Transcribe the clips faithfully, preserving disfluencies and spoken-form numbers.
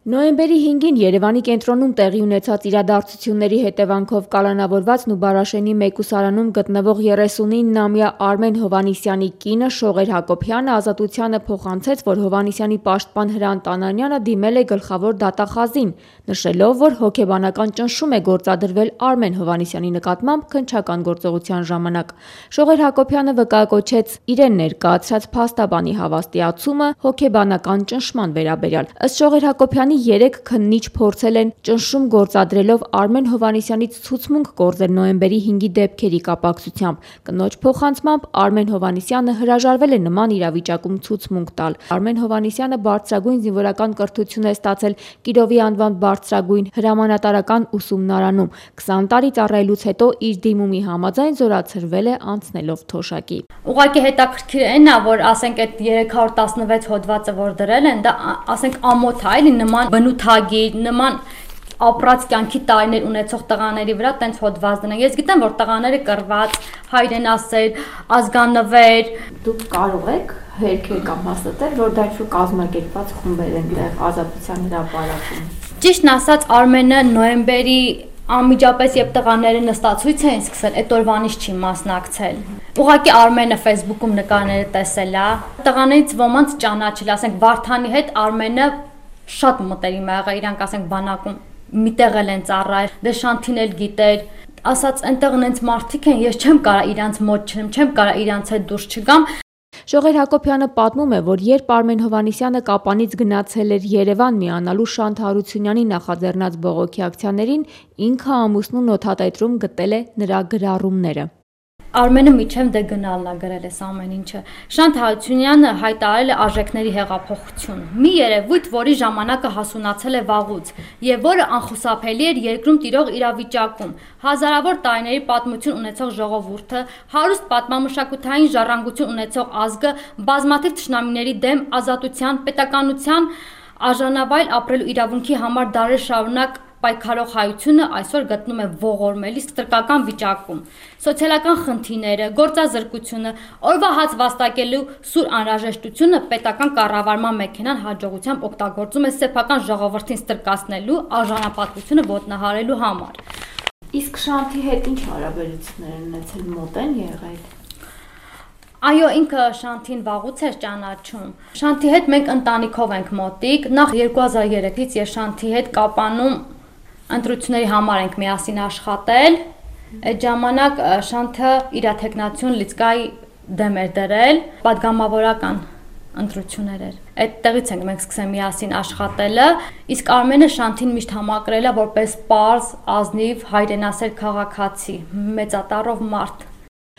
Նոյեմբերի հինգին Երևանի կենտրոնում տեղի ունեցած իրադարձությունների հետևանքով կալանավորվածն ու Բարաշենի մեկուսարանում գտնվող երեսունիննամյա Արմեն Հովհաննիսյանի կինը Շողեր Հակոբյանը Ազատությանը փոխանցեց, որ Հովհաննիսյանի պաշտպան Հրանտ Անանյանը դիմել է գլխավոր դատախազին, նշելով, որ հոգեբանական ճնշում է գործադրվել Արմեն Հովհաննիսյանի նկատմամբ քննչական գործողության ժամանակ։ Շողեր Հակոբյանը վկայակոչեց իրեն ներկայացրած փաստաբանի հավաստիացումը հոգեբանական ճնշման վերաբերյալ։ Ըստ Շողեր Հակոբյանի երեք քննիչ փորձել են ճնշում գործադրելով Արմեն Հովհաննիսյանից ցուցմունք կորզել նոյեմբերի հինգի դեպքերի կապակցությամբ։ Կնոջ փոխանցմամբ Արմեն Հովհաննիսյանը հրաժարվել է նման իրավիճակում ցուցմունք տալ։ Արմեն Հովհաննիսյանը բարձրագույն զինվորական կրթություն է ստացել Կիրովի անվան բարձրագույն հրամանատարական ուսումնարանում։ քսան տարի ծառայելուց հետո իր դիմումի համաձայն զորացրվել է անցնելով թոշակի։ Ուղղակի հետաքրքիր էն է, որ ասենք այդ երեք հարյուր տասնվեց հոդվածը, որ դրել են, դա ասենք ամոթ է, էլի նման բնութագիր, նման ապրած կյանքի տարիներ ունեցող տղաների վրա տենց հոդված դնեն։ Ես գիտեմ, որ տղաները կռված, հայրենասեր, ազգանվեր։ Դուք կարող եք հերքել կամ հաստատել, որ դա ինչ-որ կազմակերպված խումբեր են տեղ Ազատության հրապարակում։ Ճիշտն ասած, Արմենը նոյեմբերի անմիջապես երբ տղաները նստացույց էին սկսել, այդ օրվանից չի մասնակցել։ Ուղղակի Արմենը Facebook-ում նկարները տեսել է, տղաներից ոմանց ճանաչել, ասենք Վարդանի հետ Արմենը շատ մտերիմ ա եղել, իրանք ասենք բանակում միտեղ են ծառայել, դե Շանթին էլ գիտեր, ասած այնտեղ նենց մարդիկ են, ես չեմ կարա իրանց մոտ չեմ, չեմ կարա իրանց հետ դուրս չգամ։ Շողեր Հակոբյանը պատմում է, որ երբ Արմեն Հովհաննիսյանը Կապանից գնացել էր Երևան միանալու Շանթ Հարությունյանի նախաձեռնած բողոքի ակցիաներին, ինքը ամուսնու նոթատետրում գտել է նրա գրառումները։ Արմենը միջև դե գնալն է գրել էս ամեն ինչը։ Շանթ Հարությունյանը հայտարարել է արժեքների հեղափոխություն, մի երևույթ, որի ժամանակը հասունացել է վաղուց եւ որը անխուսափելի էր երկրում տիրող իրավիճակում։ Հազարավոր տարիների պատմություն ունեցող ժողովուրդը, հարուստ պատմամշակութային ժառանգություն ունեցող ազգը, բազմաթիվ թշնամիների դեմ ազատության, պետականության, արժանավայել ապրելու իրավունքի համար դարեր շարունակ պայքարող հայությունը այսօր գտնում է ողորմելի ստրկական վիճակում։ Սոցիալական խնդիրները, գործազրկությունը, օրվա հաց վաստակելու սուր անհրաժեշտությունը պետական կառավարման մեքենան հաջողությամբ օգտագործում է սեփական ժողովրդին ստրկացնելու, արժանապատվությունը ոտնահարելու համար։ Իսկ Շանթի հետ ինչ հարաբերություններ են ունեցել, մոտ են եղել։ Այո, ինքը Շանթին վաղուց էր ճանաչում։ Շանթի հետ մենք ընտանիքով ենք մոտիկ։ Նախ երկու հազար երեքից ես Շանթի հետ Կապանում ընտրությունների համար ենք միասին աշխատել։ Այդ ժամանակ Շանթը իր թեկնածություն լիցկայի դեմ էր դրել, падգամավորական ընտրություններ էր։ Այդտեղից ենք մենք սկսել միասին աշխատելը, իսկ Արմենը Շանթին միշտ համակրել է որպես պարզ, ազնիվ, հայրենասեր քաղաքացի, մեծատառով մարդ։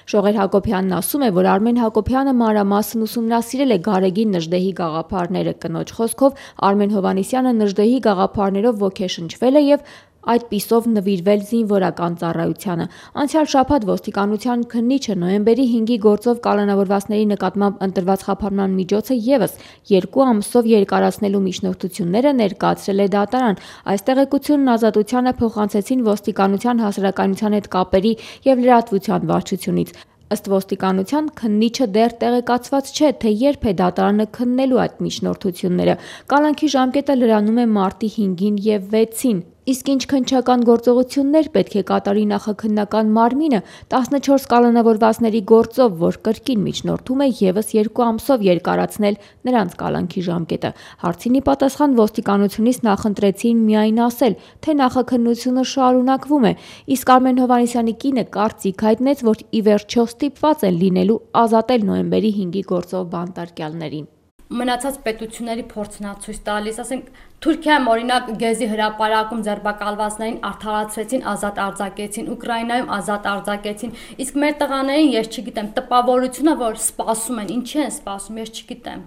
Շողեր Հակոբյանն ասում է, որ Արմեն Հակոբյանը մանրամասն ուսումնասիրել է Գարեգին Նժդեհի գաղափարները։ Կնոջ խոսքով Արմեն Հովհաննիսյանը Նժդեհի գաղափարներով ոգեշնչվել է եւ այդպիսով նվիրվել զինվորական ծառայությանը։ Անցյալ շաբաթ ոստիկանության քննիչը նոյեմբերի հինգի գործով կալանավորվածների նկատմամբ ընտրված խափանման միջոցը եւս երկու ամսով երկարացնելու միջնորդությունները ներկայացրել է դատարան։ Այս տեղեկությունն Ազատությանը փոխանցեցին ոստիկանության հասարակայնության հետ կապերի եւ լրատվության վարչությունից։ Ըստ ոստիկանության քննիչը դեռ տեղեկացված չէ, թե երբ է դատարանը քննելու այդ միջնորդությունները։ Կալանքի ժամկետը լրանում է մարտի հինգին եւ վեցին։ Իսկ ինչ քննչական գործողություններ պետք է կատարի նախաքննական մարմինը տասնչորս կալանավորվածների գործով, որ կրկին միջնորդում է եւս երկու ամսով երկարացնել նրանց կալանքի ժամկետը։ Հարցին ի պատասխան ոստիկանությունից նախընտրեցին միայն ասել, թե նախաքննությունը շարունակվում է, իսկ Արմեն Հովհաննիսյանի կինը կարծիք հայտնեց, որ ի վերջո ստիպված են լինելու ազատել նոյեմբերի հինգի գործով բանտարկյալներին։ Մնացած պետությունների փորձն է ցույց տալիս, ասենք Թուրքիայում օրինակ Գեզի հրապարակում ձերբակալվածներին արդարացրեցին, ազատ արձակեցին, Ուկրաինայում ազատ արձակեցին, իսկ մեր տղաներին ես չգիտեմ, տպավորությունը, որ սպասում են, ինչի են սպասում, ես չգիտեմ։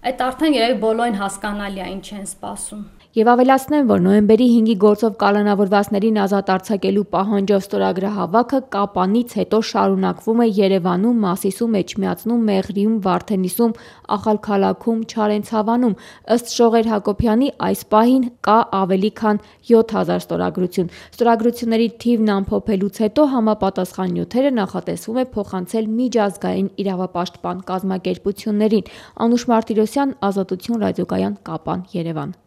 Այդ արդեն երևի բոլորին հասկանալի է, ինչ են սպասում։ Եվ ավելացնեմ, որ նոյեմբերի հինգի գործով կալանավորվածներին ազատ արձակելու պահանջով ստորագրահավաքը Կապանից հետո շարունակվում է Երևանում, Մասիսում, Էջմիածնում, Մեղրիում, Վարդենիսում, Ախալքալաքում, Չարենցավանում։ Ըստ Շողեր Հակոբյանի այս պահին կա ավելի քան յոթ հազար ստորագրություն։ Ստորագրությունների թիվն ամփոփելուց հետո համապատասխան նյութերը նախատեսվում է փոխանցել միջազգային իրավապաշտպան կազմակերպություններին։ Անուշ Մարտիրոսյան, Ազատություն ռադիոկայան, Կապան, Երևան։